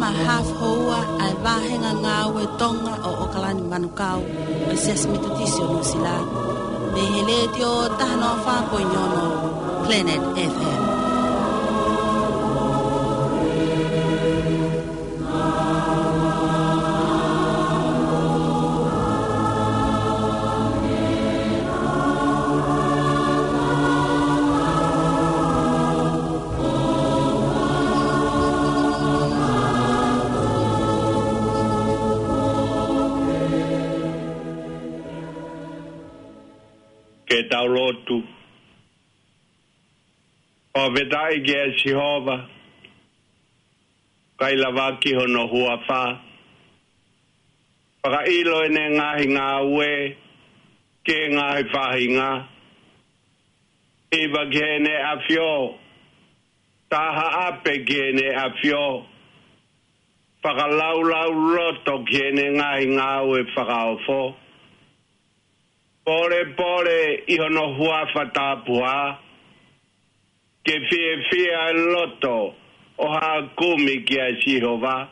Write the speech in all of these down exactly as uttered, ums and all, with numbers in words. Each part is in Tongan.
Haʻa houa ʻa e vāhenga ngāue Tonga ʻo ʻOkalani Manukau ʻo e Siasi Metotisi ʻo Nuʻusila, mei he Letiō taha noa fā poini ono Planet F M. Ke tau lotu. Fakafetaʻi kia Sihova, kae lavaki hono huafa. Fakaʻilo ʻene ngaahi ngāue ki he ngaahi faʻahinga. Hiva ki heʻene ʻafio, tā haʻape ki heʻene ʻafio. Fakalaulauloto ki heʻene ngaahi ngāue fakaofo. Polepole ʻi hono huafa tapuhā, ke fiefia e loto ʻo haʻa kumi kia Sihova.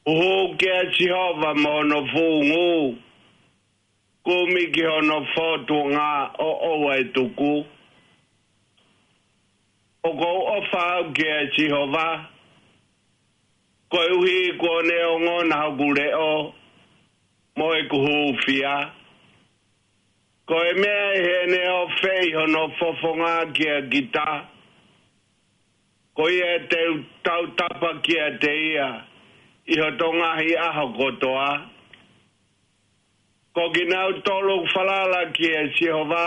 Huhū kia Sihova mo hono fuʻu ngū, kumi ki hono fōtunga ʻo ʻoua ʻe tuku. ʻOku ou ʻofa au kia Sihova, koeʻuhi kuo ne ongona hoku leʻo mo ʻeku hūfia. Ko e meʻa ʻi heʻene ofeʻi hono fofonga kia kita, ko ia te u tautapa kiate ia ʻi hoto ngaahi ʻaho kotoa. Ko kinautolu ʻoku falala kia Sihova,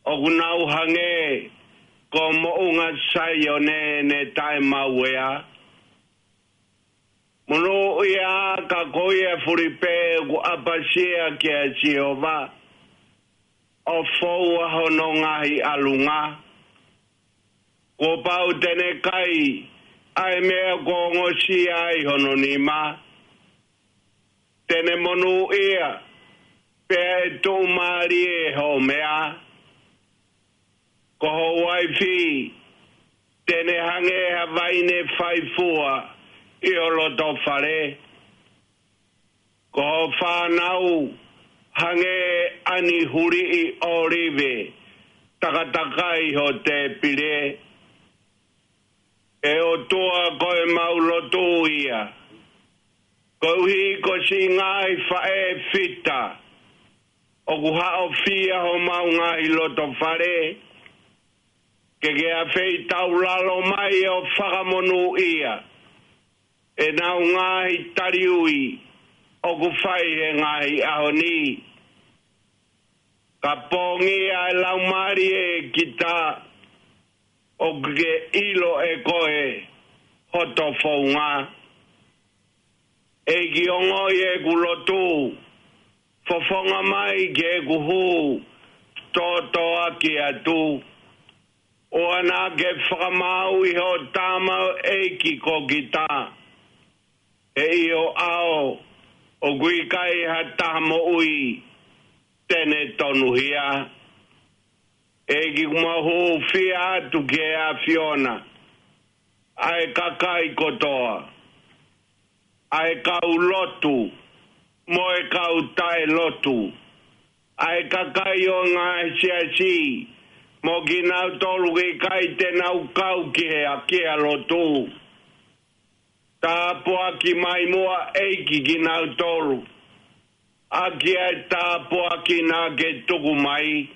ʻoku nau hangē ko Moʻunga Saione ne taʻemauea. Monūʻia ka ko ia fuli pē ʻoku ʻapasia kia Sihova, ʻo foua hono ngaahi ʻalunga. Kuo pau te ne kai ʻa e meʻa kuo ongosia ai hono nima. Te ne monūʻia, pea ʻe tuʻumālie hoʻo meʻa. Ko ho uaifi, te ne hangē ha vaine faifua ʻi ho loto fale. Ko ho fānau, hangē ʻa e huliʻi ʻōlive takatakai ho tēpile. ʻE ʻOtua, ko ʻemau lotu ia, koeʻuhi ko siʻi ngaahi faʻē fita ʻoku haʻofia homau ngaahi loto fale, ke ke afeitaulalo mai ʻo fakamonūʻia ʻenau ngaahi taliui ʻoku fai he ngaahi ʻaho ni. Ka pongia e laumālie ʻe kita, ʻoku ke ʻilo ʻe koe hoto founga. ʻEiki, ongoʻi ʻeku lotu, fofonga mai ki heʻeku hū tōtōaki atu. ʻOua naʻa ke fakamaauʻi hoʻo tamaioʻeiki ko kita, he ʻi ho ʻao ʻoku ʻikai ha taha moʻui te ne tonuhia. ʻEiki, ʻoku mau hūfia atu ki he ʻAfiona ʻa e kakai kotoa, ʻa e kau lotu mo e kau taʻelotu, ʻa e kakai ʻo e ngaahi siasi mo kinautolu ʻoku ʻikai te nau kau ki he ʻaʻahi lotu. Tāpuaki mai muʻa, ʻEiki, kinautolu ʻaki ʻa e tāpuaki naʻa ke tuku mai.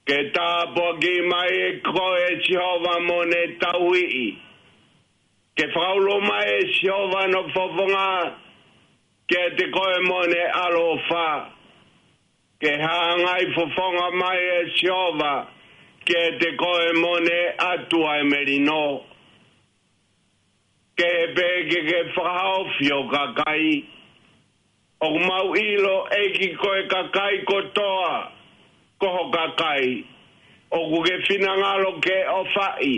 Ke tāpuaki mai ʻe koe, Sihova, mo ne tauhi. Ke fakaulo mai ʻe Sihova hono fofonga kiate koe mo ne ʻaloʻofa. Ke hangai fofonga mai ʻe Sihova kiate koe mo ne ʻatu ʻa e melino. Ke pehē ke ke fakahaofi ho kakai. ʻOku mau ʻilo, ʻEiki, ko e kakai kotoa ko ho kakai ʻoku ke finangalo ke ʻofaʻi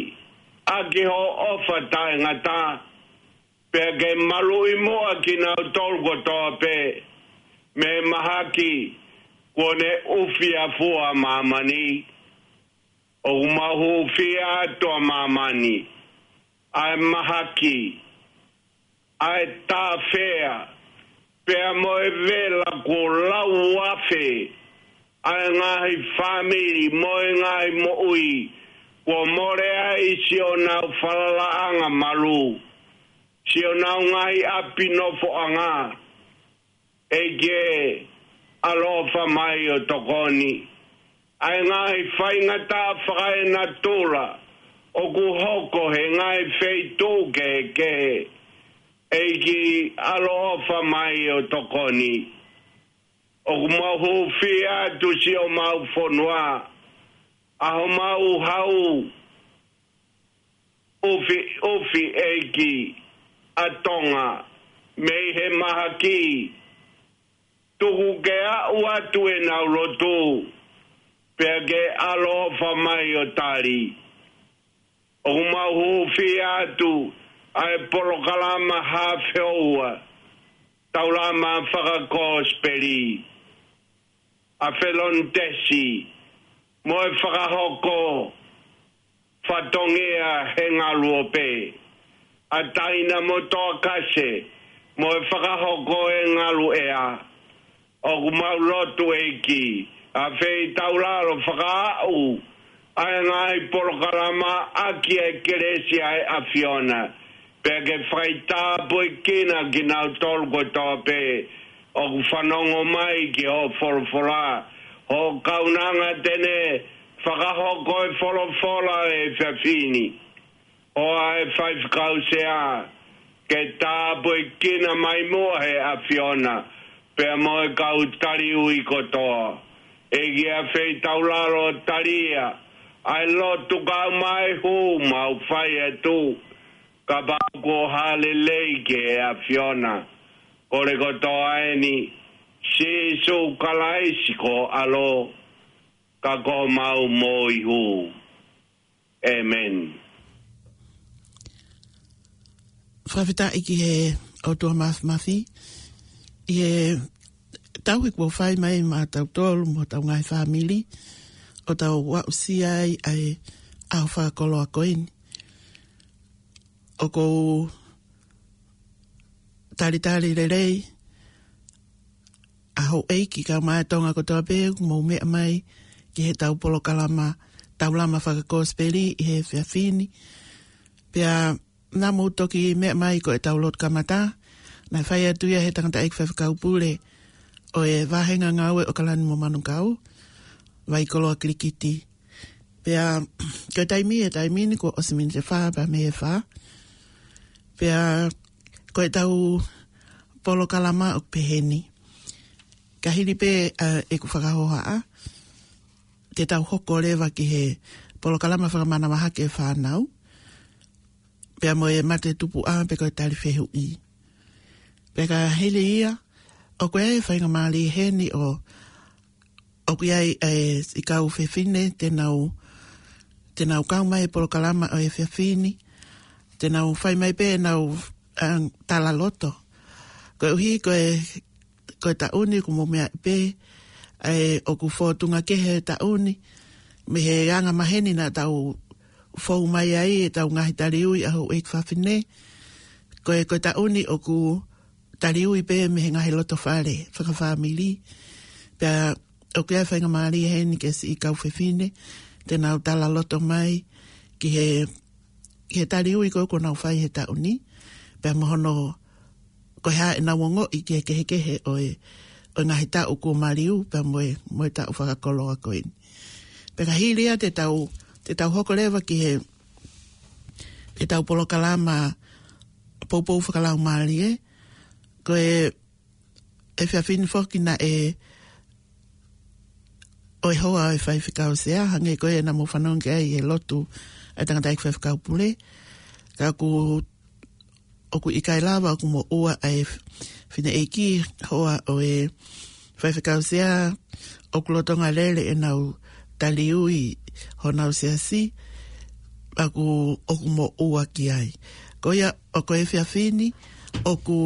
ʻaki hoʻo ʻofa taʻengata. Pea ke maluʻi muʻa kinautolu kotoa pē mei he mahaki kuo ne ʻufiʻafua ʻa māmani. ʻOku mau hūfia atu ʻa māmani ʻa e mahaki, ʻa e tāfea, pea mo e vela kuo lauafe ʻa e ngaahi fāmili mo e ngaahi moʻui, kuo mole ai siʻonau falalaʻanga malu, siʻonau ngaahi ʻapi nofoʻanga. ʻEiki ʻaloʻofa mai ʻo tokoni. ʻA e ngaahi faingataʻa fakaenatula ʻoku hoko he ngaahi feituʻu kehekehe, ʻEiki ʻaloʻofa mai ʻo tokoni. ʻOku mau hūfia atu siʻomau fonua, ʻa homau hau ʻufiʻufi ʻEiki ʻa Tonga mei he mahaki. Tuku ke aʻu atu ʻenau lotu, pea ke ʻaloʻofa mai ʻo tali. ʻOku mau hūfia atu ʻa e polokalama hafeoua, taulama fakakosipeli, ʻa Felonitesi, mo e fakahoko fatongia he ngalu ope, ʻa Taina mo Toakase, mo e fakahoko e ngalu ʻea. ʻOku mau lotu ʻEiki, ʻa feitaulalo fakaaʻu ʻa e ngaahi polokalama ʻaki e kelesi ʻa e ʻAfiona, pea ke faitāpuekina kinautolu kotoa pē ʻoku fanongo mai ki hoʻo folofola, hoʻo kaunanga te ne fakahoko e folofola ʻo e efiafi ni. ʻOfa ʻe Faifekau Sea, ke tāpuekina mai muʻa he ʻAfiona, pea mo e kau taliui kotoa. ʻEiki, ʻa feitaulalo talia ʻa e lotu kae ʻumaʻā e hū mau fai atu, kapau kuo hā lelei ki he ʻAfiona. Kole kotoa eni, Sīsū Kalaisi ko ho ʻAlo, ka ko homau moihū. ʻĒmeni. Fakafetaʻi ki he ʻOtua Mafimafi, ʻi he tauhi kuo fai mai maʻatautolu mo hotau ngaahi fāmili, ʻo tau aʻusia ai ʻa e ʻaho fakakoloa ko eni. ʻOku ou talitali lelei ʻa houʻeiki kae ʻumaʻā e Tonga kotoa pē ʻoku mou meʻa mai ki heʻetau polokalama taulama fakakosipeli ʻi he efiafi ni. Pea naʻa mou toki meʻa mai ko ʻetau lotu kamata, naʻe fai atu ia ʻe he tangataʻeiki faifekau pule ʻo e vāhenga ngāue ʻo ʻAokalani mo Manukau, Vaikoloa Kilikiti. Pea ko e taimi, ʻi he taimi ni kuo ʻosi miniti ʻe fā pea mei he fā. Pea ko ʻetau polokalama ʻoku pehē ni. Ka hili pē ʻa ʻeku fakahohaʻa, te tau hoko leva ki he polokalama fakamanavahē ki he fānau, pea mo e mate tupuʻa pe ko e tali fehuʻi. Pea ka hili ia, ʻoku ʻi ai e faingamālie heni ʻo ʻoku ʻi ai e siʻi kau fefine te nau, te nau kau mai he polokalama ʻo e efiafi ni, te nau fai mai pē ʻenau, um, talaloto. Koeʻuhi ko e, ko e taʻu ni ʻoku mou meaʻi pē, ʻa e ʻoku fōtunga kehe e taʻu ni, mei he anga maheni naʻa tau fou mai ai ʻetau ngaahi taliui ʻa houʻeiki fafine, ko e, ko e taʻu ni ʻoku taliui pē mei he ngaahi loto fale fakafāmili. Pea ʻoku ʻi ai e faingamālie heni ki he siʻi kau fefine, te nau talaloto mai ki he, ki he taliui ko ē kuo nau fai he taʻu ni. Pea mo hono, ko e hā ʻenau ongoʻi ki he kehekehe ʻo e, ʻo e ngaahi taʻu kuo maliu, pea mo e, mo e taʻu fakakoloa ko eni. Pea ka hili ia te tau, te tau hoko leva ki he, ʻetau polokalama poupou fakalaumālie, ko e efiafi ni foki naʻe ʻo e hoa ʻo e faifekau sea, hangē ko ia naʻa mou fanongo ki ai he lotu ʻa e tangataʻeiki faifekau pule. Ka ʻoku, ʻoku ʻikai lava ʻoku moʻua ʻa e fineʻeiki hoa ʻo e faifekau sea, ʻoku lolotonga lele ʻenau taliui honau siasi, ʻoku, ʻoku moʻua ki ai. Ko ia, ʻo ko e efiafi ni, ʻoku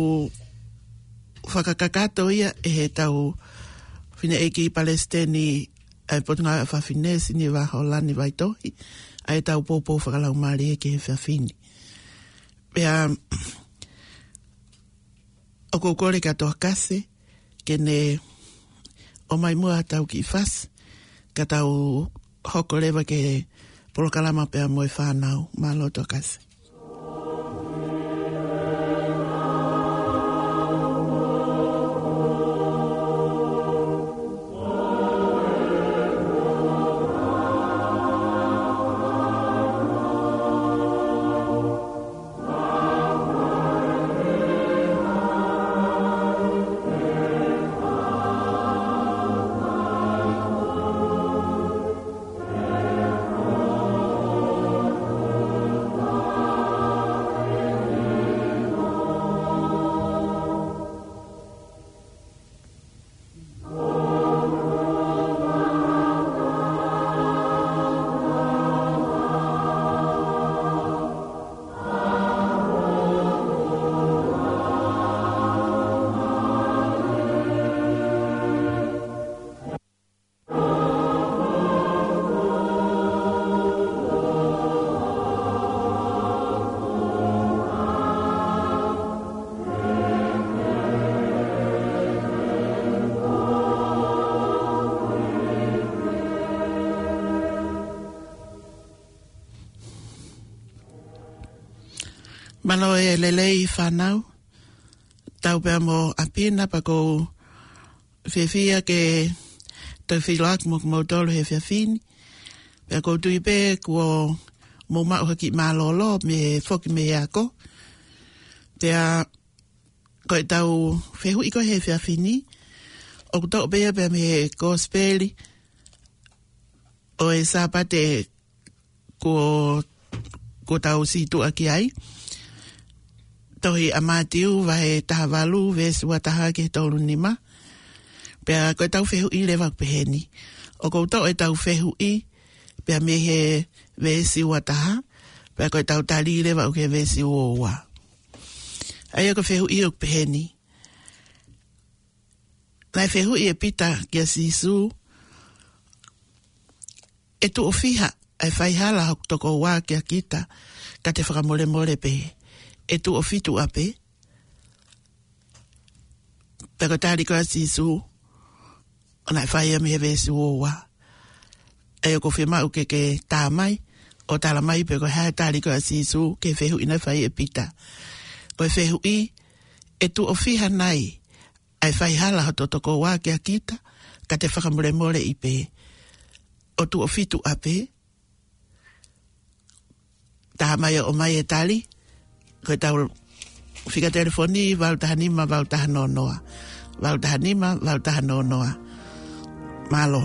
fakakakato ia ʻe heʻetau fineʻeiki palesiteni ʻa e Potungāue ʻa Fafine, Siniva Holani Vaitohi, ʻa ʻetau poupou fakalaumālie ki he efiafi ni. Pea ʻoku ou kole kia Tokasi ke ne ʻomai muʻa ʻetau kiʻi fasi, ka tau hoko leva ki he polokalama pea mo e fānau. Mālō Tokasi. Mālō e lelei fānau, tau pea mo ʻApina, pea ʻoku ou fiefia ke tau feʻiloaki mo kimoutolu he efiafi ni. Pea ʻoku ou tui pē kuo mou maʻu ha kiʻi mālōlō mei he foki mei he ako. Pea ko ʻetau fehuʻi ko ē he efiafi ni, ʻoku toʻo pē ia pea mei he Kosipeli ʻo e Sāpate kuo, kuo tau situʻa ki ai. Tohi ʻa Mātiu vahe taha valu, veesi ua taha ki he tolu nima. Pea ko ʻetau fehuʻi leva ʻoku peheni. ʻOku ou toʻo ʻetau fehuʻi pea mei he veesi ua taha, pea ko ʻetau tali leva ʻoku he veesi ua ua. ʻA ia ko e fehuʻi ʻoku peheni. Naʻe fehuʻi ʻe Pita kia Sīsū, ʻe tuʻo fiha ʻa e faihala hoku tokoua kia kita, ka te fakamolemole pē? ʻE tuʻo fitu ʻapē? Pea ko e tali ko ē ʻa Sīsū, ʻo naʻe fai ia mei he veesi ua ua. ʻA ia ʻoku ou fiemaʻu ke ke tā mai, ʻo tala mai pe ko e hā e tali ko ē ʻa Sīsū ki he fehuʻi naʻe fai ʻe Pita. Ko e fehuʻi, ʻe tuʻo fiha nai ʻa e faihala hoto tokoua kia kita, ka te fakamolemoleʻi pē? ʻO tuʻo fitu ʻapē? Tā mai ʻo ʻomai e tali, ko ʻetau fika telefoni valu taha nima, valu taha noa noa. Valu taha nima, valu taha noa noa. Mālō.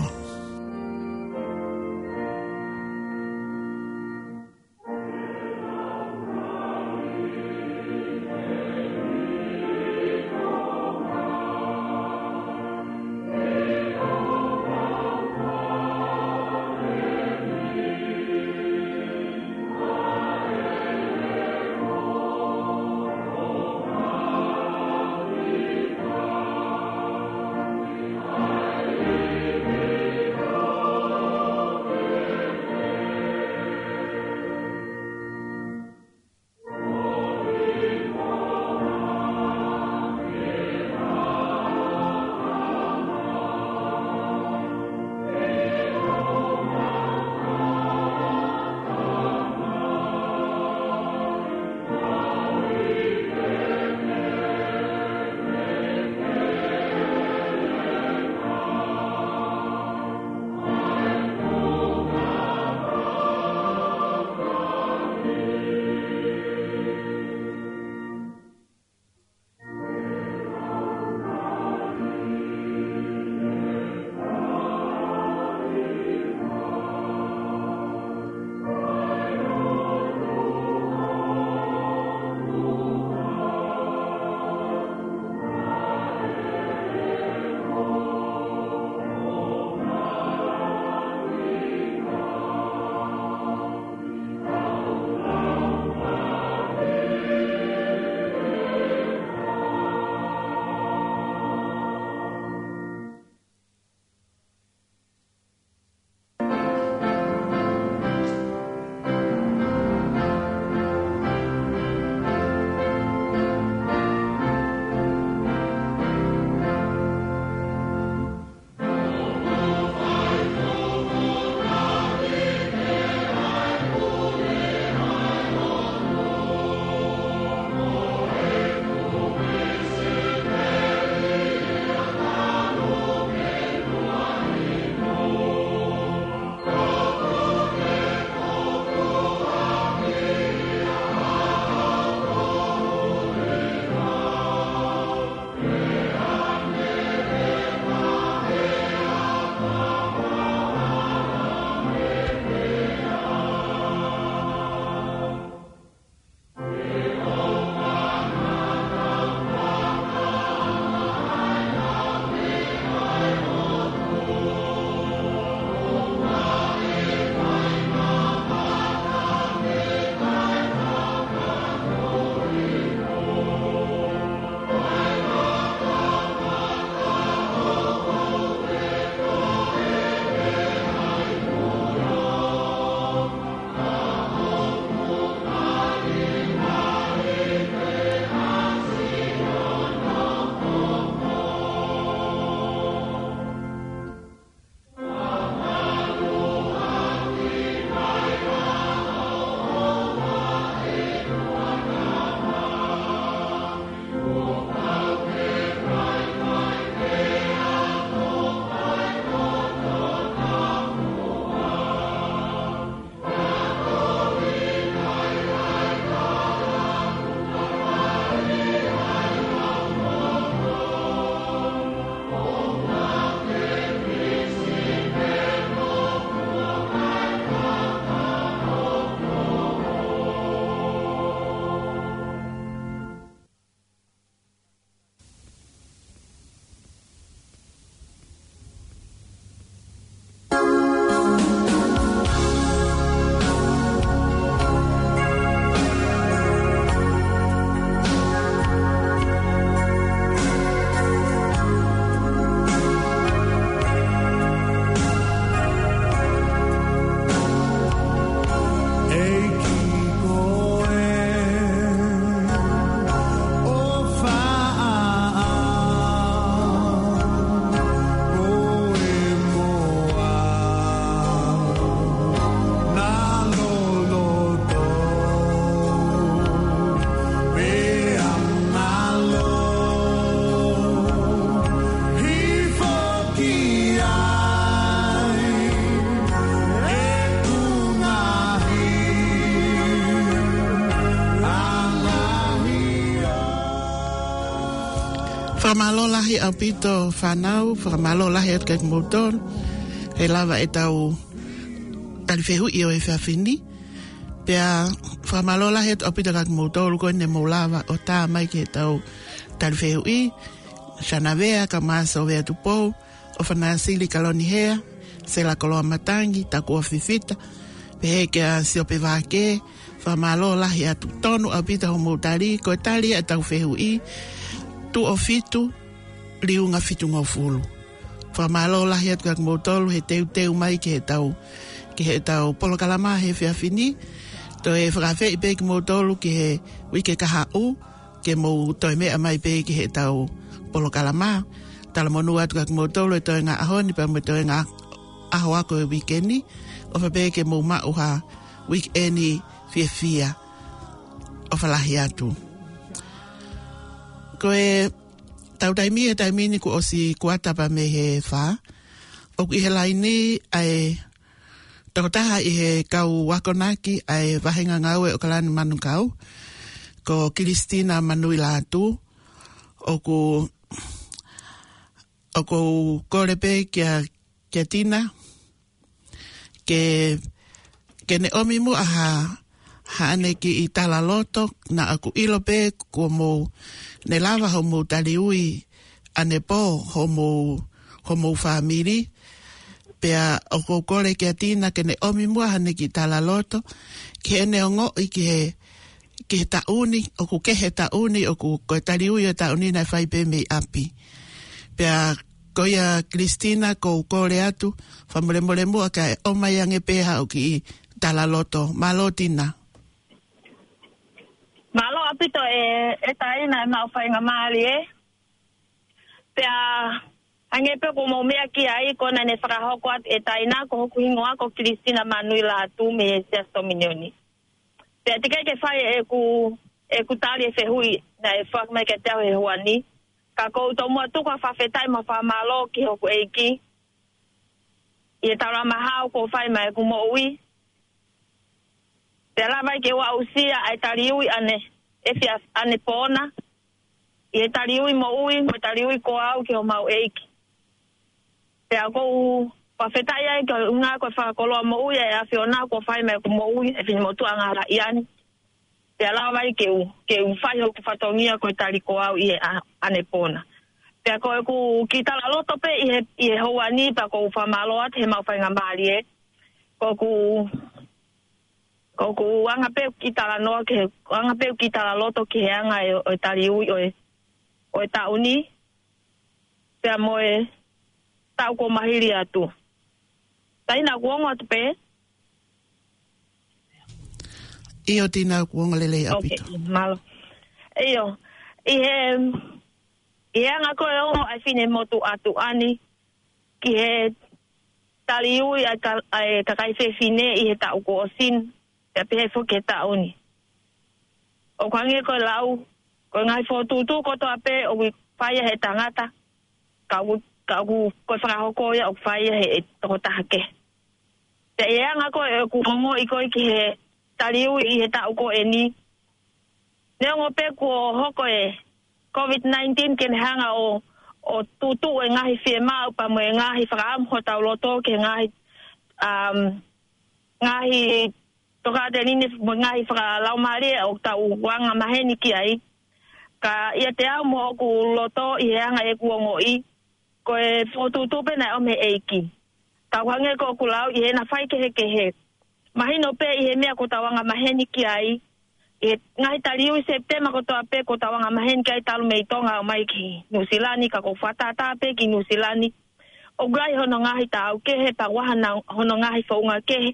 Fakamālō lahi ʻaupito fānau, fakamālō lahi atu kiate kimoutolu he lava ʻetau tali fehuʻi ʻo e efiafi ni. Pea fakamālō lahi atu ʻaupito kiate kimoutolu ko eni mou lava ʻo tā mai ki heʻetau tali fehuʻi. Sana Vea, Kamasa Vea Tupou, ʻOfana Sili Kalonihea, Sela Koloamatangi, Takua Fifita, pehē kia Siope Vake. Fakamālō lahi atu, tonu ʻaupito hoʻomou tali, ko e tali ʻetau fehuʻi, Tuʻo Fitu, Liunga Fitungofulu. Fakamālō lahi atu kiate kimoutolu he teuteu mai ki heʻetau, ki heʻetau polokalama he efiafi ni. Toe fakaafeʻi pē kimoutolu ki he uike kahaʻu, ke mou toe meʻa mai pē ki heʻetau polokalama. Talamonū atu kiate kimoutolu he toenga ʻaho ni pea mo e toenga ʻaho ako e uike ni. ʻOfa pē ke mou maʻu ha uike ni fiefia. ʻOfa lahi atu. Ko ʻetau taimi, he taimi ni kuo ʻosi kuata pea mei he fā. ʻOku ʻi he laine ʻa e tokotaha ʻi he kau akonaki ʻa e vāhenga ngāue ʻo ʻAokalani Manukau, ko Kilisitina Manuilatu. ʻOku, ʻoku ou kole pē kia, kia Tina, ke, ke ne ʻomi muʻa ha, haʻane kiʻi talaloto, naʻa ku ʻilo pē kuo mou, ne lava hoʻomou taliui ʻanepō, hoʻomou, hoʻomou fāmili. Pea ʻoku ou kole kia Tina ke ne ʻomi muʻa haʻane kiʻi talaloto, ke ne ongoʻi ki he, ki he taʻu ni, ʻoku kehe taʻu ni, ʻoku ko e taliui ʻo e taʻu ni naʻe fai pē mei ʻapi. Pea ko ia Kilisitina, ʻoku ou kole atu, fakamolemole muʻa kae ʻomai ange pē haʻo kiʻi talaloto. Mālō Tina. Mālō ʻaupito e, e taina e maʻu faingamālie. Pea, hangē pē ko hoʻomou meʻa ki ai, ko ena ne fakahoko atu e taina, ko hoku hingoa ko Kilisitina Manuilatu mei he Siasi Tominioni. Pea teʻeki ai ke fai ʻeku, ʻeku tali e fehuʻi naʻe foaki mai kiate au he houa ni. Ka ʻoku ou tomuʻa tuku ha fakafetaʻi mo e fakamālō ki hoku ʻEiki ʻi he taulama hau kuo fai maʻa ʻeku moʻui. Pea lava ai ke u aʻusia ʻa e taliui ʻane, efiafi ʻanepō na, ʻi he taliui moʻui, mo e taliui ko au ki homau ʻEiki. Pea ʻoku ou fakafetaʻi ai ki he ʻuhinga ko e fakakoloa moʻui ʻa e ʻAfiona kuo fai maʻa ʻeku moʻui, ʻe finemotuʻa ngala iani. Pea lava ai ke u, ke u fai hoku fatongia ko e tali ko au ʻi he ʻa-, ʻanepō na. Pea ko ʻeku kiʻi talaloto pē ʻi he, ʻi he houa ni pea ʻoku ou fakamālō atu he maʻu faingamālie. ʻOku, ʻoku anga pē ʻeku kiʻi talanoa ki he, anga pē ʻeku kiʻi talaloto ki he anga e, ʻo e taliui ʻo e, ʻo e taʻu ni. Pea mo e taʻu kuo maliu atu. Taina kuo ongo atu pē? ʻIo Tina, kuo ongo lelei ʻaupito. Ok, mālō. ʻIo, ʻi he, ʻi he anga ko e ongo ʻa e finemotuʻa tuʻa ni ki he taliui ʻa e ka-, ʻa e kakai fefine ʻi he taʻu kuo ʻosi ni, pea pehē foki ki he taʻu ni. ʻOku hangē ko e lau, ko e ngaahi fokotuʻutuʻu kotoa pē ʻoku fai ia he tangata, ka ʻoku, ka ʻoku ko e fakahoko ia ʻoku fai ia he tokotaha kehe. Pea ʻi he anga ko ē ʻeku ongoʻi ko ē ki he taliui ʻi he taʻu ko eni, neongo pē kuo hoko e COVID nineteen ke ne hanga ʻo, ʻo tutuʻu e ngaahi fiemaʻu pea mo e ngaahi fakaʻamu hotau loto ki he ngaahi, um, ngaahi tokāteline mo e ngaahi fakalaumālie ʻoku tau anga maheni ki ai. Ka ʻiate au mo hoku loto ʻi he anga ʻeku ongoʻi, ko e fokotuʻutuʻu pē naʻe ʻomi he ʻEiki. Tau hangē ko ʻeku lau ʻi heʻena faikehekehe. Mahino pē ʻi he meʻa ʻoku tau anga maheni ki ai, ʻi he ngaahi taliui Sepitema kotoa pē ʻoku tau anga maheni ki ai talu mei Tonga ʻo aʻu mai ki Nuʻusila ni, ka ʻoku fakatātā pē ki Nuʻusila ni. ʻOku ʻi ai hono ngaahi taau kehe, pea ʻoku ʻi ai hona, hono ngaahi founga kehe.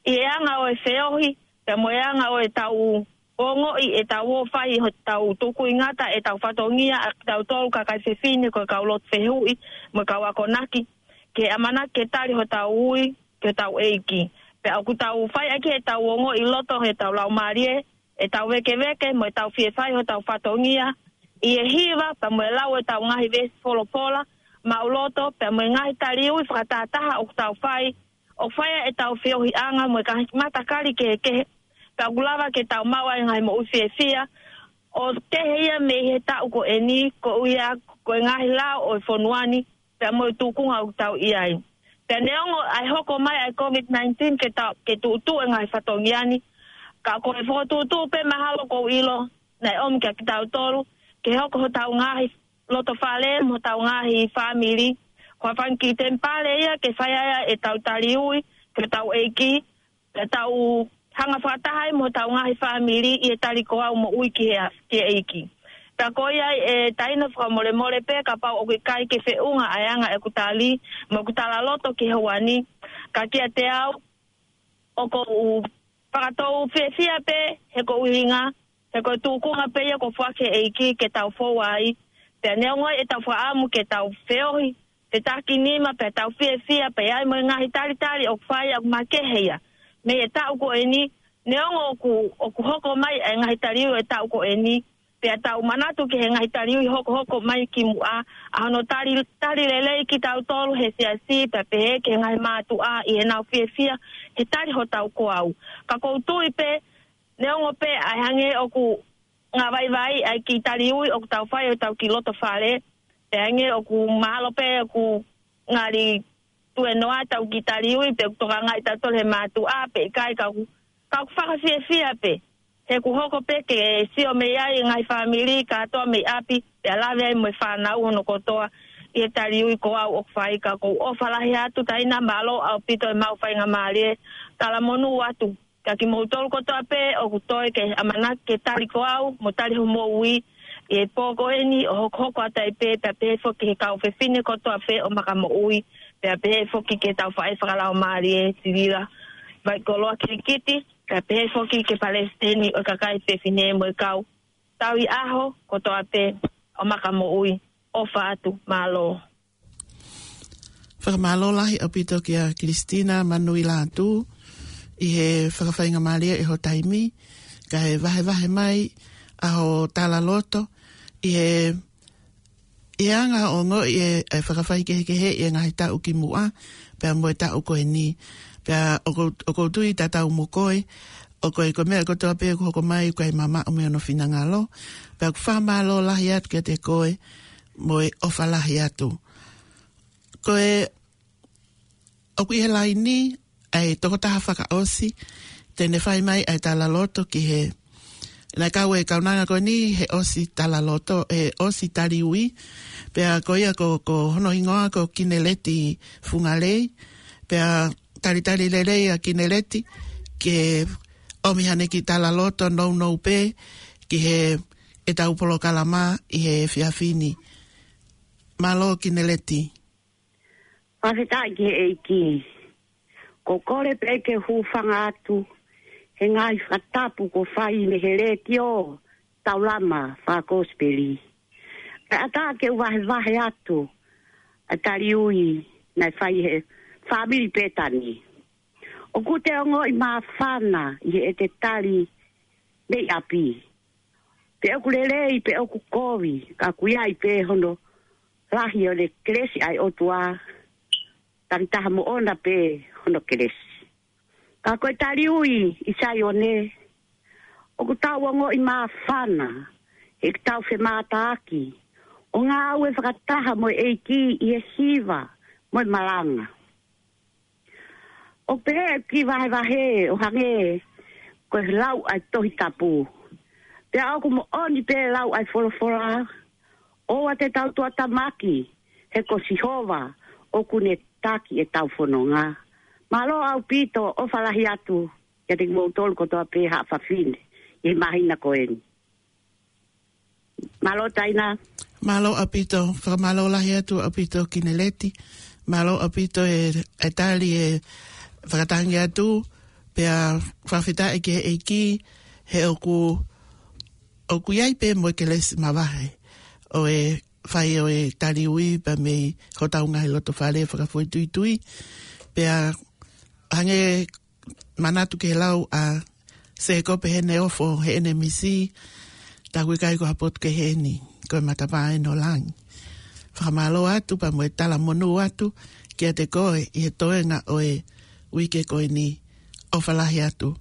ʻI he anga ʻo e feohi, pea mo e anga ʻo ʻetau ongoʻi ʻetau ō ʻo fai hotau tukuingata ʻetau fatongia ʻa kitautolu kakai fefine ko e kau lotu fehuʻi mo e kau akonaki, ke ʻamanaki ke tali hotau ui ki hotau ʻEiki. Pea ʻoku tau fai ʻaki ʻetau ongoʻi loto, ʻetau laumālie, ʻetau vēkeveke mo ʻetau fie fai hotau fatongia ʻi he hiva, pea mo e lau ʻetau ngaahi veesi folofola maʻuloto, pea mo e ngaahi taliui fakatātā ʻoku tau fai, ʻo fai ʻetau feohiʻanga mo e ngaahi matakali kehekehe, pea ʻoku lava ke tau maʻu ai e ngaahi moʻui fiefia, ʻo kehe ia mei he taʻu ko eni, koeʻuhi ko e ngaahi lao ʻo e fonua ni, pea mo e tūkunga ʻoku tau ʻi ai. Pea neongo ʻa e hoko mai ʻa e COVID nineteen ke tau, ke tuʻutuʻu e ngaahi fatongia ni, ka ko e fokotuʻutuʻu pē mahalo ʻoku ou ʻilo, naʻe ʻomi kia kitautolu, ke hoko hotau ngaahi loto fale, mo hotau ngaahi fāmili, ko e fanga kiʻi temipale ia ke fai ai ʻetau tali ui ki hotau ʻEiki, pea tau hanga fakataha ai mo hotau ngaahi fāmili ʻi he tali ko au moʻui ki he, ki he ʻEiki. Pea ko ia ē Taina, fakamolemole pē kapau ʻoku ʻikai ke feʻunga ʻa e anga ʻeku tali mo ʻeku talaloto ki he houa ni, ka kiate au, ʻoku ou fakatou fiefia pē he ko e ʻuhinga, he ko e tūkunga pē ia kuo foaki ʻe he ʻEiki ke tau fou ai. Pea neongo ʻetau fakaʻamu ke tau feohi, fetākinima, pea tau fiefia pē ai mo e ngaahi talitali ʻoku fai, ʻoku makehe ia mei he taʻu ko eni, neongo ʻoku, ʻoku hoko mai ʻa e ngaahi tali ui ʻo e taʻu ko eni, pea tau manatu ki he ngaahi tali ui hokohoko mai kimuʻa, ʻa hono tali, tali lelei kitautolu he siasi, pea pehē ki he ngaahi mātuʻa ʻi heʻenau fiefia he tali hotau ko au. Ka ʻoku ou tui pē, neongo pē ʻa e hangē ʻoku ngāvaivai ʻa e kiʻi tali ui ʻoku tau fai ʻi hotau kiʻi loto fale, pea hangē ʻoku mahalo pē ʻoku ngali tuenoa ʻetau kiʻi tali ui pe ʻoku tokangaʻi tautolu ʻe he mātuʻa pe ʻikai, ka ʻoku, ka ʻoku fakafiefia pē. He ʻoku hoko pē ke sio mei ai e ngaahi fāmili kātoa mei ʻapi, pea lave ai mo e fānau hono kotoa ʻi he tali ui ko au ʻoku fai. Ka ʻoku ou ʻofa lahi atu Taina, mālō ʻaupito e maʻu faingamālie, talamonū atu kia kimoutolu kotoa pē ʻoku toe ke ʻamanaki ke tali ko au mo tali hoʻomou ui ʻi he pō ko eni ʻo hokohoko atu ai pē, pea pehē foki ki he kau fefine kotoa pē ʻo Makamoʻui, pea pehē foki ki heʻetau faʻē fakalaumālie, Sivila Vaikoloa Kilikiti, pea pehē foki ki he palesiteni ʻo e kakai fefine mo e kau tauhi ʻaho kotoa pē ʻo Makamoʻui. ʻOfa atu, mālō. Fakamālō lahi ʻaupito kia Kilisitina Manuilatu ʻi he fakafaingamālie ʻi hoʻo taimi, kae vahevahe mai ʻa hoʻo talaloto ʻi he, ʻi he anga ʻo e ongoʻi ʻe, ʻe fakafaikehekeheʻi e ngaahi taʻu kimuʻa, pea mo e taʻu ko eni. Pea ʻoku, ʻoku ou tui tatau mo koe, ʻoku ʻi ai ko e meʻa kotoa pē ʻoku hoko mai ʻoku ʻikai mamaʻo mei hono finangalo. Pea ʻoku fakamālō lahi atu kiate koe, mo e ʻofa lahi atu. Ko e, ʻoku ʻi he laini ʻa e tokotaha fakaʻosi te ne fai mai ʻa e talaloto ki he, naʻe kau e kaunanga ko eni he ʻosi talaloto, he ʻosi tali ui, pea ko ia ko, ko hono hingoa ko Kineleti Fungalei, pea talitali lelei ʻa Kineleti ke ʻomi haʻane kiʻi talaloto nounou pē ki heʻetau polokalama ʻi he efiafi ni. Mālō Kineleti. Fakafetaʻi ki he ʻEiki. ʻOku ou kole pē ke u hūfanga atu he ngaahi fakatapu kuo fai mei he letiō Taulama Fakakosipeli. Kae ʻatā ke u vahevahe atu ʻa e tali ui naʻe fai ʻe he fāmili Pētani. ʻOku te ongoʻi māfana ʻi heʻete tali mei ʻapi. Pe ʻoku lelei, pe ʻoku kovi, ka ʻoku ʻi ai pē hono lahi ʻo e kelesi ʻa e ʻOtua, takitaha moʻona pē hono kelesi. Ka ko e tali ui ʻi Saione, ʻoku tau ongoʻi māfana heʻetau femātaaki ʻo ngāue fakataha mo e ʻEiki ʻi he hiva mo e malanga. ʻOku pehē ʻeku kiʻi vahevahe ʻo hangē ko e lau ʻa e Tohi Tapu. Pea ʻoku moʻoni pē lau ʻa e folofola, ʻoua te tau tuʻatamaki, he ko Sihova ʻoku ne taki ʻetau fononga. Mālō ʻaupito, ʻofa lahi atu kiate kimoutolu kotoa pē haʻa fafine ʻi he māhina ko eni. Mālō Taina. Mālō ʻaupito, fakamālō lahi atu ʻaupito Kineleti. Mālō ʻaupito e, e tali e fakatangi atu, pea fakafetaʻi ki he ʻEiki, he ʻoku, ʻoku ʻi ai pē mo e kelesi mavahe ʻo e fai ʻo e tali ui pea mei hotau ngaahi loto fale fakafoʻituitui. Pea hangē manatu ki he lau ʻa Sēkope Heneofo Heʻenemisi, tā ʻoku ʻikai ko ha potu kehe eni, ko e matapā ʻeni ʻo langi. Fakamālō atu pea mo e talamonū atu kiate koe ʻi he toenga ʻo e uike ko eni, ʻofa lahi atu.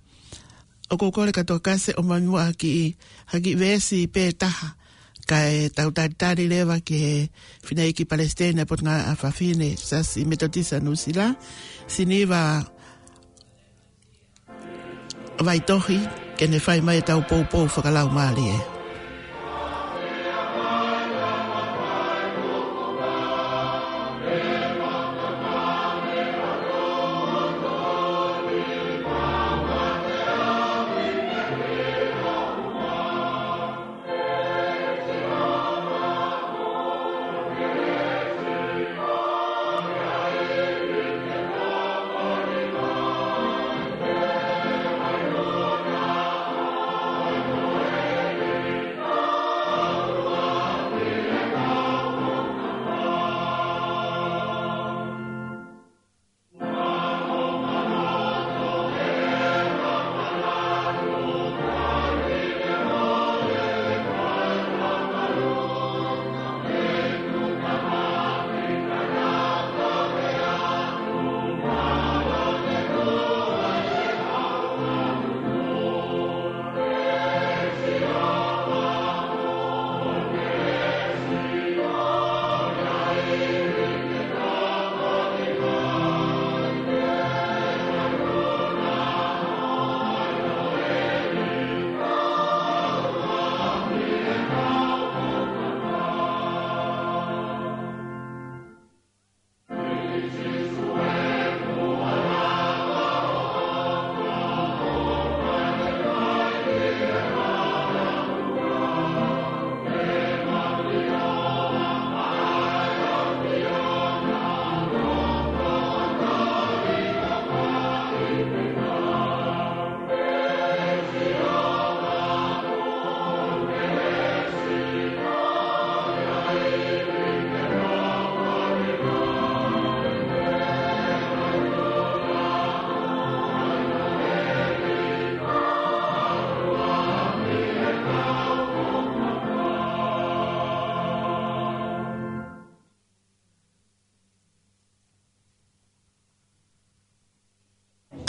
ʻOku ou kole kātoa ke ʻomai muʻa ha kiʻi, ha kiʻi veesi pē taha, kae tau talitali leva ki he fineʻeiki palesiteni ʻo e Potungāue ʻa Fafine Siasi Metotisi ʻa Nuʻusila, Siniva Vaitohi, ke ne fai mai ʻetau poupou fakalaumālie.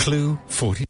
Clue forty.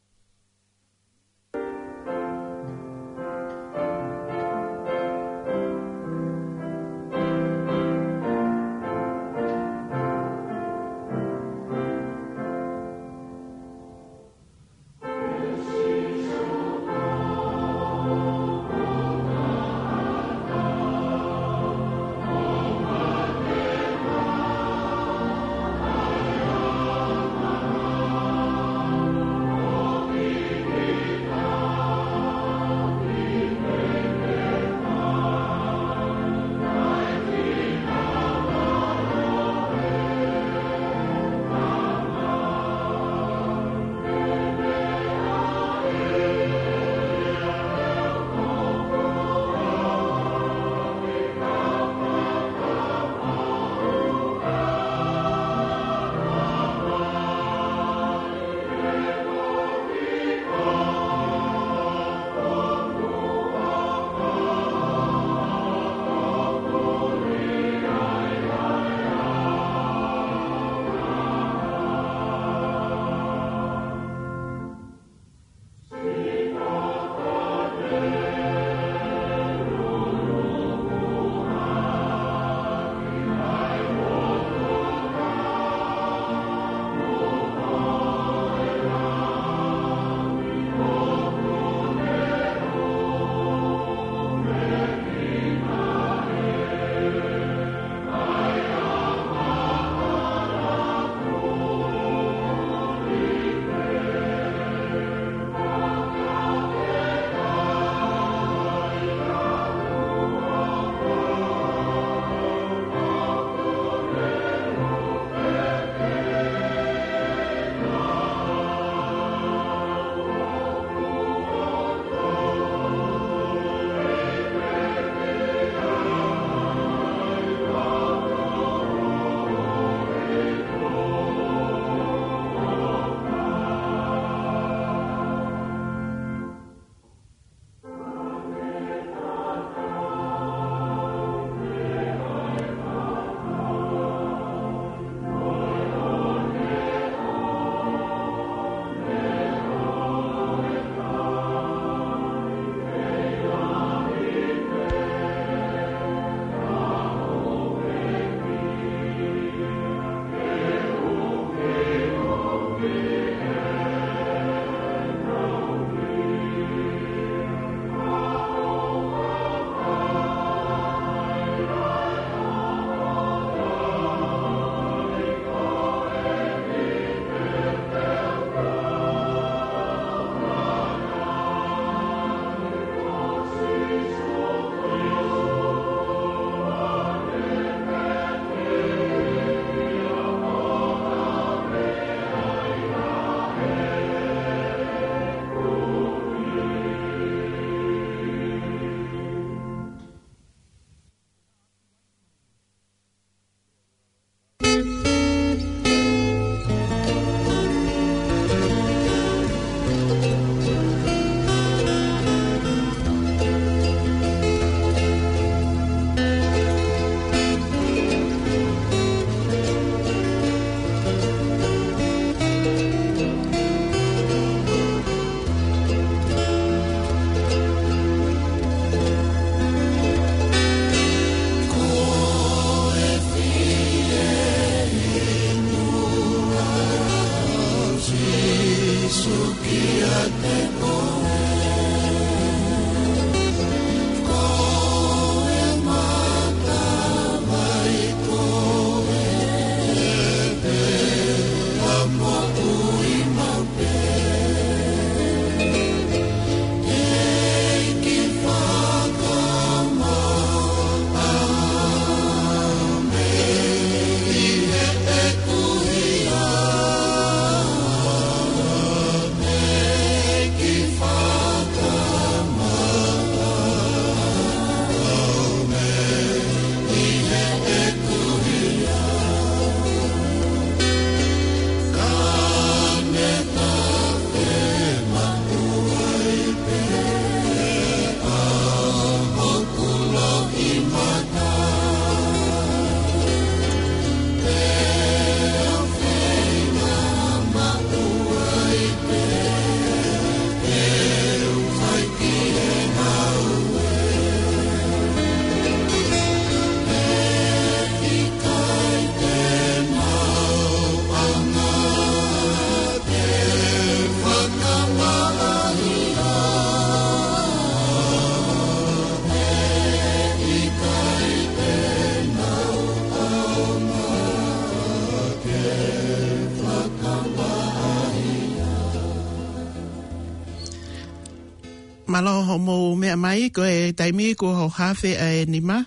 Mālō hoʻomou meʻa mai, ko e taimi kuo hoko hake ʻa e nima.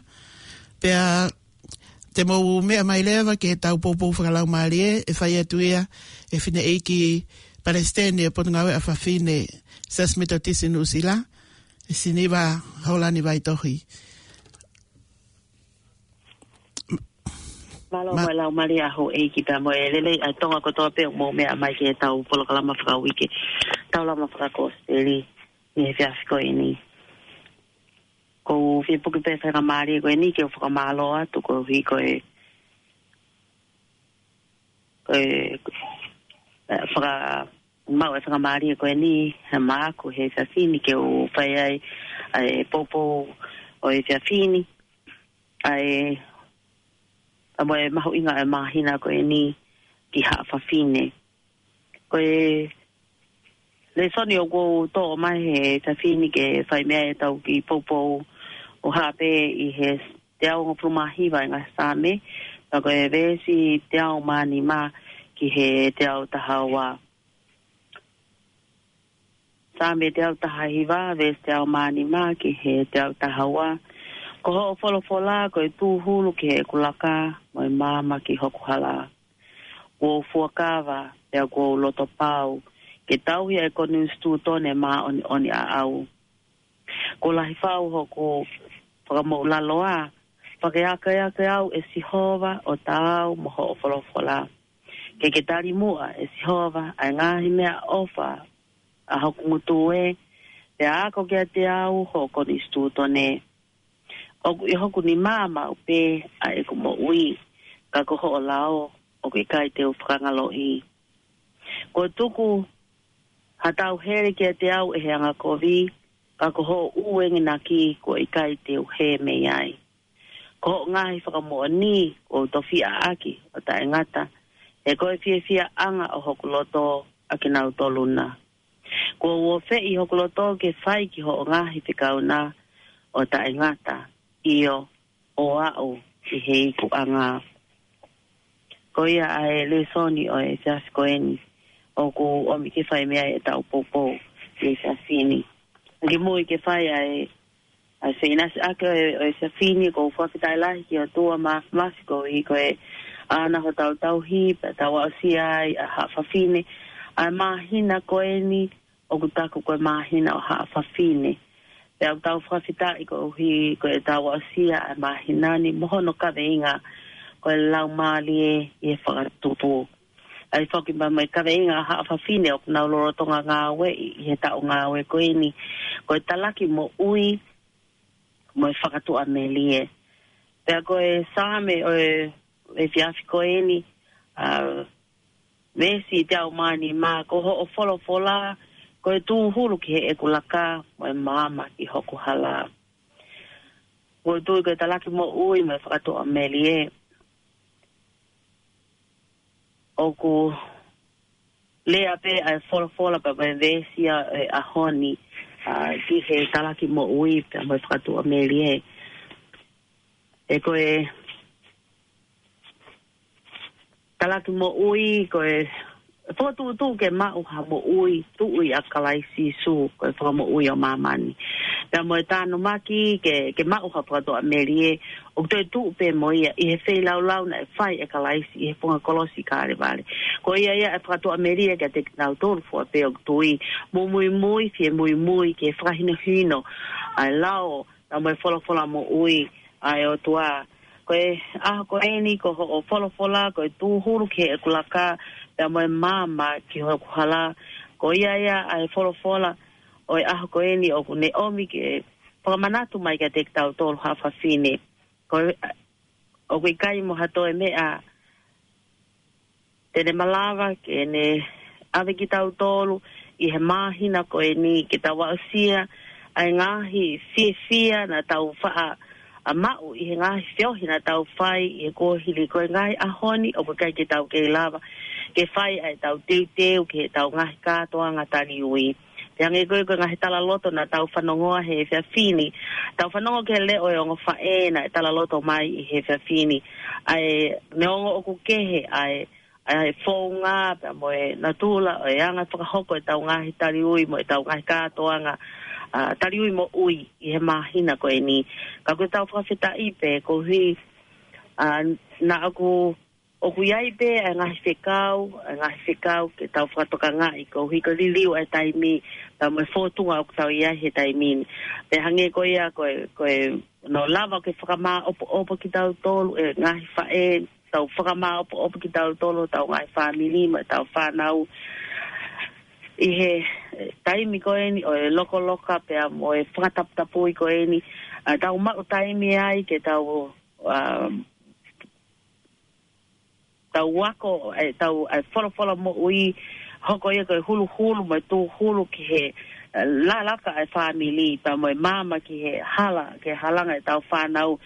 Pea te mou meʻa mai leva ki heʻetau poupou fakalaumālie, ʻe fai atu ia ʻe he fineʻeiki palesiteni ʻo e Potungāue ʻa Fafine Siasi Metotisi Nuʻusila, ʻe Siniva Holani Vaitohi. Mālō mo e laumālie ʻa houʻeiki pea mo e lelei ʻa Tonga kotoa pē ʻoku mou meʻa mai ki heʻetau polokalama fakauike, Taulama Fakakosipeli, ʻi he efiafi ko eni. ʻOku ou fie puke pē faingamālie ko eni ke u fakamālō atu koeʻuhi ko e, ko e, ʻe, fakamaʻu e faingamālie ko eni he māku he efiafi ni ke u fai ai ʻa e poupou ʻo e efiafi ni, ʻa e, ʻa mo e mahuʻinga ʻo e māhina ko eni ki haʻa fafine. Ko e lēsoni ʻoku ou toʻo mai he efiafi ni ke fai mei ai ʻetau kiʻi poupou ʻoku hā pē ʻi he teau hongofulu mā hiva ʻi he ngaahi Saame, pea ko e veesi teau mā nima ki he teau taha ua. Saame teau taha hiva, veesi teau mā nima ki he teau taha ua. Ko hoʻo folofola ko e tūhulu ki heʻeku laka, mo e maama ki hoku hala. Kuo u fuakava, pea kuo u loto pau, ke tauhi ʻa e konisitūtone māʻoniʻoni ʻaʻau. Kuo lahi fau hoku fakamoʻulaloa, fakaekeake au ʻe Sihova ʻo taau mo hoʻo folofola. Ke ke tali muʻa ʻe Sihova ʻa e ngaahi meʻaʻofa ʻa hoku ngutu ē, pea ako kiate au hoʻo konisitūtone. ʻOku ʻi hoku nima maʻu pē ʻa ʻeku moʻui, ka ko hoʻo lao ʻoku ʻikai te u fakangaloʻi. Kuo tuku ha tauhele kiate au ʻe he angakovi, ka ko hoʻo ʻū enginaki kuo ʻikai te u hē mei ai. Ko hoʻo ngaahi fakamoʻoni kuo u tofiʻa ʻaki ʻo taʻengata, he ko e fiefiaʻanga ʻo hoku loto ʻa kinautolu na. Kuo u ofeʻi hoku loto ke fai ki hoʻo ngaahi fekau na ʻo taʻengata, ʻio, ʻo aʻu ki he ikuʻanga. Ko ia ʻa e lēsoni ʻo e efiafi ko eni ʻoku ʻomi ke fai mei ai ʻetau poupou ʻi he efiafi ni. Kimuʻa ke fai ʻa e, ʻa e feʻinasiʻaki ʻo e, ʻo e efiafi ni, ʻoku ou fakafetaʻi lahi ki he ʻOtua Māfimafi koeʻuhi ko e ʻana hotau tauhi, pea tau aʻusia ai ʻa haʻa fafine, ʻa e māhina ko eni, ʻoku taku ko e māhina ʻo haʻa fafine. Pea ʻoku tau fakafetaʻi koeʻuhi ko ʻetau aʻusia ʻa e māhina ni mo hono kaveinga ko e Laumālie ʻi he Fakatupu. ʻA ia foki mo e kaveinga ʻa haʻa fafine ʻoku nau lolotonga ngāueʻi ʻi he taʻu ngāue ko eni, ko e talaki moʻui mo e fakatuʻamelie. Pea ko e Saame ʻo e efiafi ko eni, ʻa, veesi teau mā nima, ko hoʻo folofola ko e tūhulu ki heʻeku laka, mo e maama ki hoku hala. ʻOku ou tui ko e talaki moʻui mo e fakatuʻamelie, ʻoku lea pē ʻa e folofola pea mo e veesi ʻa e ʻaho ni, ʻa, ki he talaki moʻui pea mo e fakatuʻamelie. ʻE ko e talaki moʻui, ko e fokotuʻutuʻu ke maʻu ha moʻui, tuʻu ʻia Kalaisi Sīsū, ko e fakamoʻui ʻo māmani. Pea mo e tānaki ke, ke maʻu ha fakatuʻamelie, ʻoku toe tuʻu pē mo ia ʻi he feilaulau naʻe fai ʻe Kalaisi ʻi he funga kolosi Kalevale. Ko ia ia ʻa e fakatuʻamelie kiate kinautolu fua pē ʻoku tui, mo muimui, fie muimui, ke fakahinohino ʻa e lao, pea mo e folofola moʻui ʻa e ʻOtua. Ko e ʻaho ko eni ko hoʻo folofola ko e tūhulu ki heʻeku laka, pea mo e maama ki hoku hala. Ko ia ia ʻa e folofola ʻo e ʻaho ko eni ʻoku ne ʻomi ke fakamanatu mai kiate kitautolu haʻa fafine. Ko e, ʻoku ʻikai mo ha toe meʻa te ne malava ke ne ʻave kitautolu ʻi he māhina ko eni ke tau aʻusia ʻa e ngaahi fiefia naʻa tau faʻa maʻu ʻi he ngaahi feohi naʻa tau fai ʻi he kuohili. Ko e ngaahi ʻaho ni ʻoku ʻikai ke tau kei lava ke fai ʻa ʻetau teuteu ki heʻetau ngaahi kātoanga taliui. Pea hangē ko e, ko e ngaahi talaloto naʻa tau fanongoa he efiafi ni, tau fanongo ki he leʻo ʻo e ongo faʻē naʻe talaloto mai ʻi he efiafi ni, ʻa e neongo ʻoku kehe ʻa e, ʻa e founga pea mo e natula ʻo e anga fakahoko ʻetau ngaahi taliui mo ʻetau ngaahi kātoanga, ʻa, taliui moʻui ʻi he māhina ko eni. Ka ko ʻetau fakafetaʻi pē koeʻuhi, ʻa, naʻa ʻoku, ʻoku ʻi ai pē ʻa e ngaahi fekau, ʻa e ngaahi fekau ke tau fakatokangaʻi koeʻuhi ko e liliu ʻa e taimi, pea mo e fōtunga ʻoku tau ʻi ai he taimi ni. Pea hangē ko ia ko e, ko e, ʻoku lava ke fakamāʻopoʻopo kitautolu ʻe he ngaahi faʻē, tau fakamāʻopoʻopo kitautolu, tau ngaahi fāmili, mo ʻetau fānau. ʻI he, eh, taimi ko eni ʻo e lokoloka pea mo e fakataputapui ko eni, ʻa, tau maʻu taimi ai ke tau, ʻa, tau ako, ʻe, tau, ʻa e folofola moʻui, hoko ia ko e huluhulu mo e tūhulu ki he, ʻa, lalaka ʻa e fāmili, pea mo e maama ki he hala, ke halanga ʻetau fānau.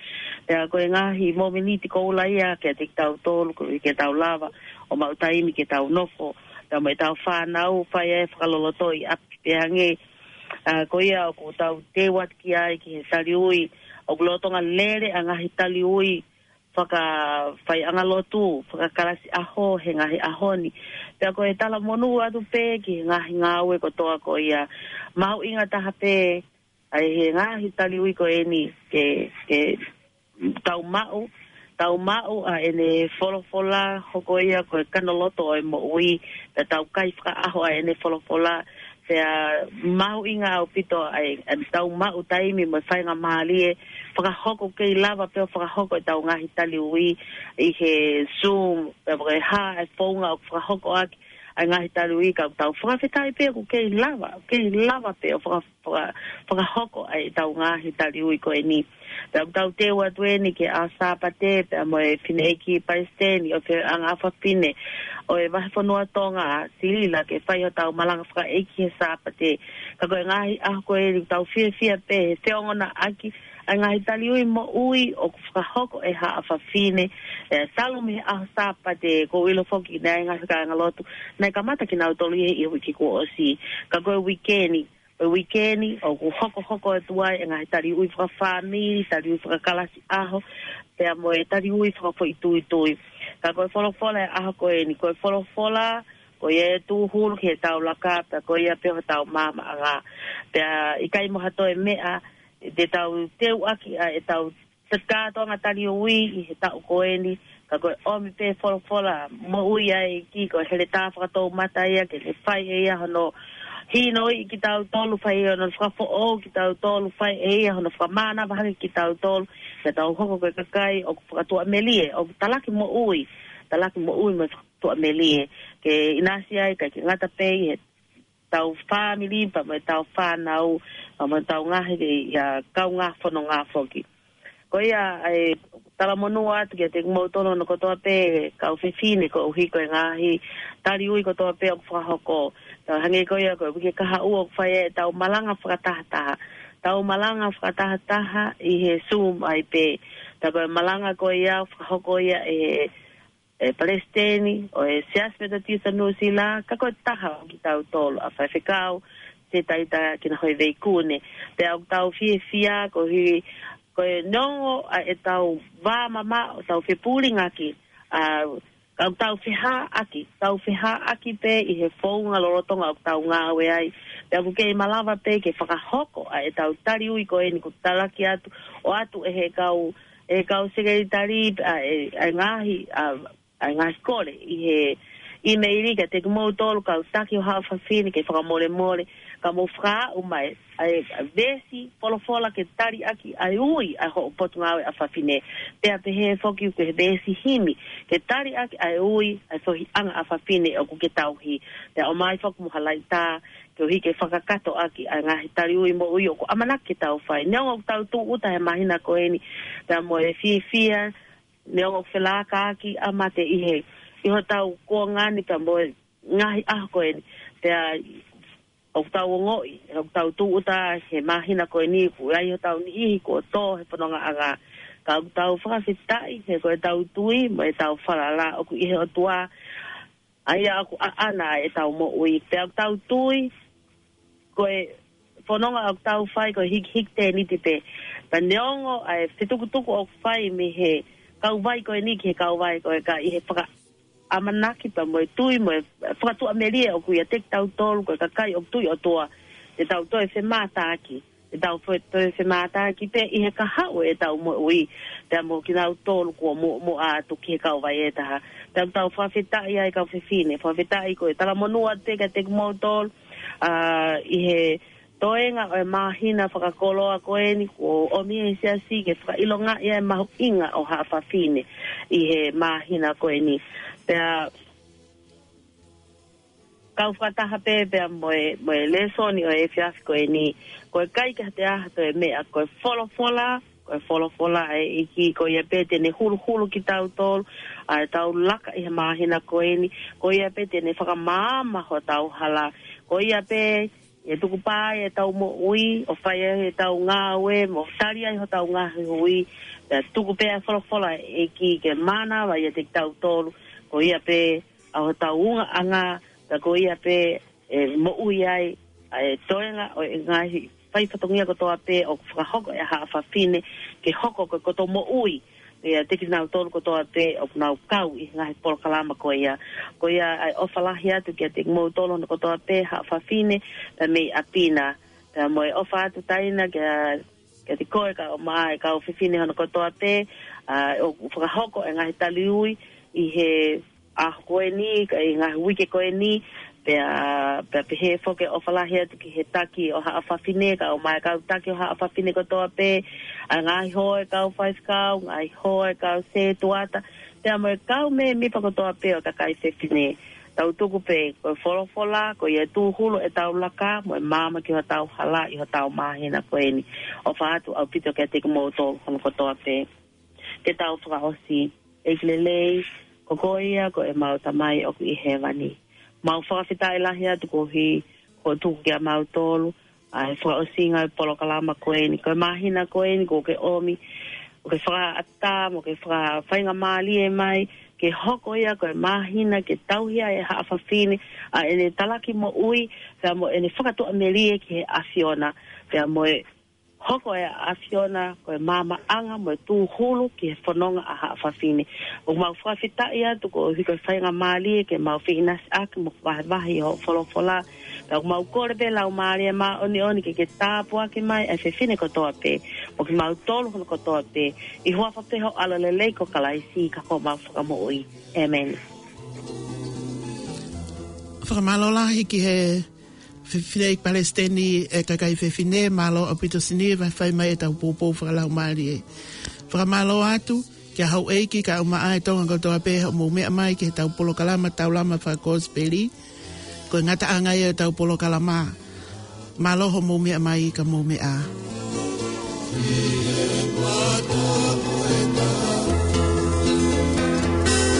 Pea ko e ngaahi mōmeniti koula ia kiate kitautolu, koeʻuhi ke tau lava ʻo maʻu taimi ke tau nofo, pea mo ʻetau fānau, fai ai e fakaloloto ʻi ʻapi. Pea hangē, ʻa, ko ia ʻoku tau teu atu ki ai ki he taliui, ʻoku lolotonga lele ʻa e ngaahi taliui, fakafaiʻanga lotu, fakakalasi ʻaho, he ngaahi ʻaho ni. Pea ko e talamonū atu pē ki he ngaahi ngāue kotoa ko ia. Mahuʻinga taha pē, ʻa e he ngaahi taliui ko eni ke, ke tau maʻu, tau maʻu ʻa ʻene folofola, hoko ia ko e kanoloto ʻo e moʻui, pea tau kai fakaʻaho ʻa ʻene folofola, pea mahuʻinga ʻaupito ʻa e, ʻa e tau maʻu taimi mo e faingamālie, fakahoko kei lava pē ʻo fakahoko ʻetau ngaahi taliui ʻi he Zoom, pea mo e hā ʻa e founga ʻoku fakahoko ʻaki ʻa e ngaahi taliui, ka ʻoku tau fakafetaʻi pē ʻoku kei lava, kei lava pē ʻo faka-, faka-, fakahoko ʻa ʻetau ngaahi taliui ko eni. Pea ʻoku tau teu atu eni ki he ʻaho Sāpate, pea mo e fineʻeiki palesiteni ʻo e feohiʻanga ʻa fafine ʻo e vahefonua Tonga, Silila, ke fai hotau malanga fakaʻeiki he Sāpate. Ka ko e ngaahi ʻaho ko eni ʻoku tau fiefia pē he feongoʻaki ʻa e ngaahi taliui moʻui ʻoku fakahoko ʻe haʻa fafine, ʻe talu mei he ʻaho Sāpate, ʻoku ou ʻilo foki naʻe ngaahi kāingalotu naʻe kamata kinautolu ʻi he uike kuo ʻosi. Ka ko e uike ni, ko e uike ni, ʻoku hokohoko atu ai ʻa e ngaahi taliui fakafāmili, taliui fakakalasi ʻaho, pea mo e taliui fakafoʻituitui. Ka ko e folofola ʻo e ʻaho ko eni, ko e folofola, ko ia ʻe tūhulu ki heʻetau laka, pea ko ia pē hotau maamaʻanga. Pea ʻikai mo ha toe meʻa, te tau teuʻaki ʻa ʻetau kātoanga taliui ʻi he taʻu ko eni, ka ko e ʻomi pē folofola moʻui ʻa e ʻEiki, ko e heletā fakatoumata ia, ke ne fai ʻe ia hono hinoʻi kitautolu, fai ʻe ia hono fakafoʻou kitautolu, fai ʻe ia hono fakamānava hake kitautolu, ke tau hoko ko e kakai ʻoku fakatuʻamelie, ʻoku talaki moʻui, talaki moʻui mo e fakatuʻamelie, ke ʻinasi ai, ʻikai ke ngata pē ʻi he tau fāmili, pea mo e tau fānau, pea mo e tau ngaahi, ʻa, kaungā fononga foki. Ko ia, ʻa e talamonū atu kiate kimoutolu hono kotoa pē, kau fefine, koeʻuhi ko e ngaahi taliui kotoa pē ʻoku fakahoko. Tau hangē ko ia ko e uike kahaʻu ʻoku fai ai ʻetau malanga fakatahataha. Tau malanga fakatahataha ʻi he Zoom ai pē. Pea ko e malanga ko ia ʻoku fakahoko ia ʻe he ʻe palesiteni ʻo e Siasi Metotisi Nuʻusila, ka ko e taha ʻo kitautolu ʻa e faifekau, Setaita Kinahoiveikune. Pea ʻoku tau fiefia koeʻuhi, ko e neongo ʻa ʻetau vā mamaʻo, ʻoku tau fepulingaki, ʻa, ka ʻoku tau fehāʻaki, tau fehāʻaki pē ʻi he founga lolotonga ʻoku tau ngāue ai. Pea ʻoku kei malava pē ke fakahoko ʻa ʻetau taliui ko eni kuo talaki atu, ʻoatu ʻe he kau, ʻe he kau sekelitali, ʻa, ʻe, ʻa e ngaahi, ʻa, ʻa e ngaahi kole ʻi he ʻīmeili kiate kimoutolu kau taki ʻo haʻa fafine ke fakamolemole, ka mou fakaaʻu mai ʻa e, ʻa e veesi folofola ke taliʻaki ʻa e ui ʻa hoʻo potungāue ʻa fafine. Pea pehē foki ko e veesi himi ke taliʻaki ʻa e ui ʻa e feohiʻanga ʻa fafine ʻoku ke tauhi. Pea ʻomai foki mo ha laitā koeʻuhi ke fakakatoʻaki ʻa e ngaahi taliui moʻui ʻoku ʻamanaki ke tau fai. Neongo ʻoku tau tūʻuta he māhina ko eni, pea mo e fiefia, neongo ʻoku felākaʻaki ʻa mate ʻi he, ʻi hotau kuonga ni pea mo e ngaahi ʻaho ko eni. Pea ʻoku tau ongoʻi, ʻoku tau tūʻuta he māhina ko eni, ʻoku ʻi ai hotau niʻihi kuo tō he fonongaʻanga. Ka ʻoku tau fakafetaʻi, he ko ʻetau tui, mo ʻetau falala, ʻoku ʻi he ʻOtua, ʻa ia ʻoku ʻaʻana ʻetau moʻui. Pea ʻoku tau tui, ko e fononga ʻoku tau fai ko e hikihiki tēniti pē. Pea neongo ʻa e fetukutuku ʻoku fai mei he kauvai ko eni ki he kauvai ko ē, ka ʻi he fakaʻamanaki pea mo e tui mo e fakatuʻamelie ʻoku ʻiate kitautolu ko e kakai ʻoku tui ʻOtua. te tau toe femātaaki, te tau fe-, toe femātaaki pē ʻi he kahaʻu ʻetau moʻui, pea mo kinautolu kuo muʻomuʻa atu ki he kau Vaiʻetaha. Tau tau fakafetaʻi ai kau fefine, fakafetaʻi ko e talamonū atu pē kiate kimoutolu, ʻa, ʻi he toenga ʻo e māhina fakakoloa ko eni, kuo ʻomi ʻe he siasi ke fakaʻilongaʻi ʻa e mahuʻinga ʻo haʻa fafine ʻi he māhina ko eni. Pea kau fakataha pē pea mo e, mo e lēsoni ʻo e efiafi ko eni, ko e ʻikai ke ha te aha toe meʻa, ko e folofola, ko e folofola ʻa e ʻEiki, ko ia pē te ne huluhulu kitautolu, ʻa e tau laka ʻi he māhina ko eni, ko ia pē te ne fakamaama hotau hala, ko ia pē ʻe tukupā ai ʻetau moʻui, ʻo fai ai ʻetau ngāue, mo tali ai hotau ngaahi hui, pea tuku pē ʻa e folofola ʻa e ʻEiki ke mānava ʻiate kitautolu, ko ia pē ʻa hotau ungaʻanga, pea ko ia pē ʻe moʻui ai ʻa e toenga ʻo e ngaahi fai fatongia kotoa pē ʻoku fakahoko ʻe haʻa fafine ke hoko ko e koto moʻui ʻiate kinautolu kotoa pē ʻoku nau kau ʻi he ngaahi polokalama ko ia. Ko ia ʻa e ʻofa lahi atu kiate kimoutolu hono kotoa pē haʻa fafine, pea mei ʻapi na. Pea mo e ʻofa atu taina kia, kiate koe kau mai, kau fefine hono kotoa pē, ʻa, ʻoku fakahoko ʻa e ngaahi taliui ʻi he ʻaho ko eni, ka ʻi he ngaahi uike ko eni, pea, pea pehē foki ʻofa lahi atu ki he taki ʻo haʻa fafine, kau mai kau taki ʻo haʻa fafine kotoa pē, ʻa e ngaahi hoa ʻo e kau faifekau, ngaahi hoa ʻo e kau sētuata, pea mo e kau mēmipa kotoa pē ʻo e kakai fefine. Tau tuku pē, ko e folofola, ko ia ʻe tūhulu ʻetau laka, mo e maama ki hotau hala ʻi hotau māhina ko eni. ʻOfa atu ʻaupito kiate kimoutolu hono kotoa pē. Ke tau fakaʻosi. ʻEiki lelei, ko koe ia ko ʻemau Tamai ʻoku ʻi hēvani. Mau fakafetaʻi lahi atu koeʻuhi ko hoʻo tuku kia mautolu ʻa e fakaʻosinga ʻo e polokalama ko eni, ko e māhina ko eni kuo ke ʻomi, ʻo ke fakaʻatā, mo ke fakafaingamālie mai, ke hoko ia ko e māhina ke tauhi ai ʻe haʻa fafine ʻa ʻene talaki moʻui, pea mo ʻene fakatuʻamelie ki he ʻAfiona, pea mo e hoko ʻa e ʻAfiona ko e maamaʻanga mo e tūhulu ki he fononga ʻa haʻa fafine. ʻOku mau fakafetaʻi atu koeʻuhi ko e faingamālie ke mau feʻinasiʻaki mo vahevahe ʻi hoʻo folofola. Pea ʻoku mau kole pē Laumālie Māʻoniʻoni ke ke tāpuaki mai ʻa e fefine kotoa pē, mo kimautolu hono kotoa pē, ʻi he huafa pē ho ʻAlo lelei ko Kalaisi ka ko homau Fakamoʻui. ʻĒmeni. Fakamālō lahi ki he Fefine ʻEiki Palesiteni ʻo e kakai fefine, mālō ʻaupito Siniva, fai mai ʻetau poupou fakalaumālie. Fakamālō atu kia houʻeiki kae ʻumaʻā e Tonga kotoa pē hoʻomou meʻa mai ki heʻetau polokalama Taulama Fakakosipeli. Ko e ngataʻanga ia ʻetau polokalama. Mālō hoʻomou meʻa mai ka mou meʻa.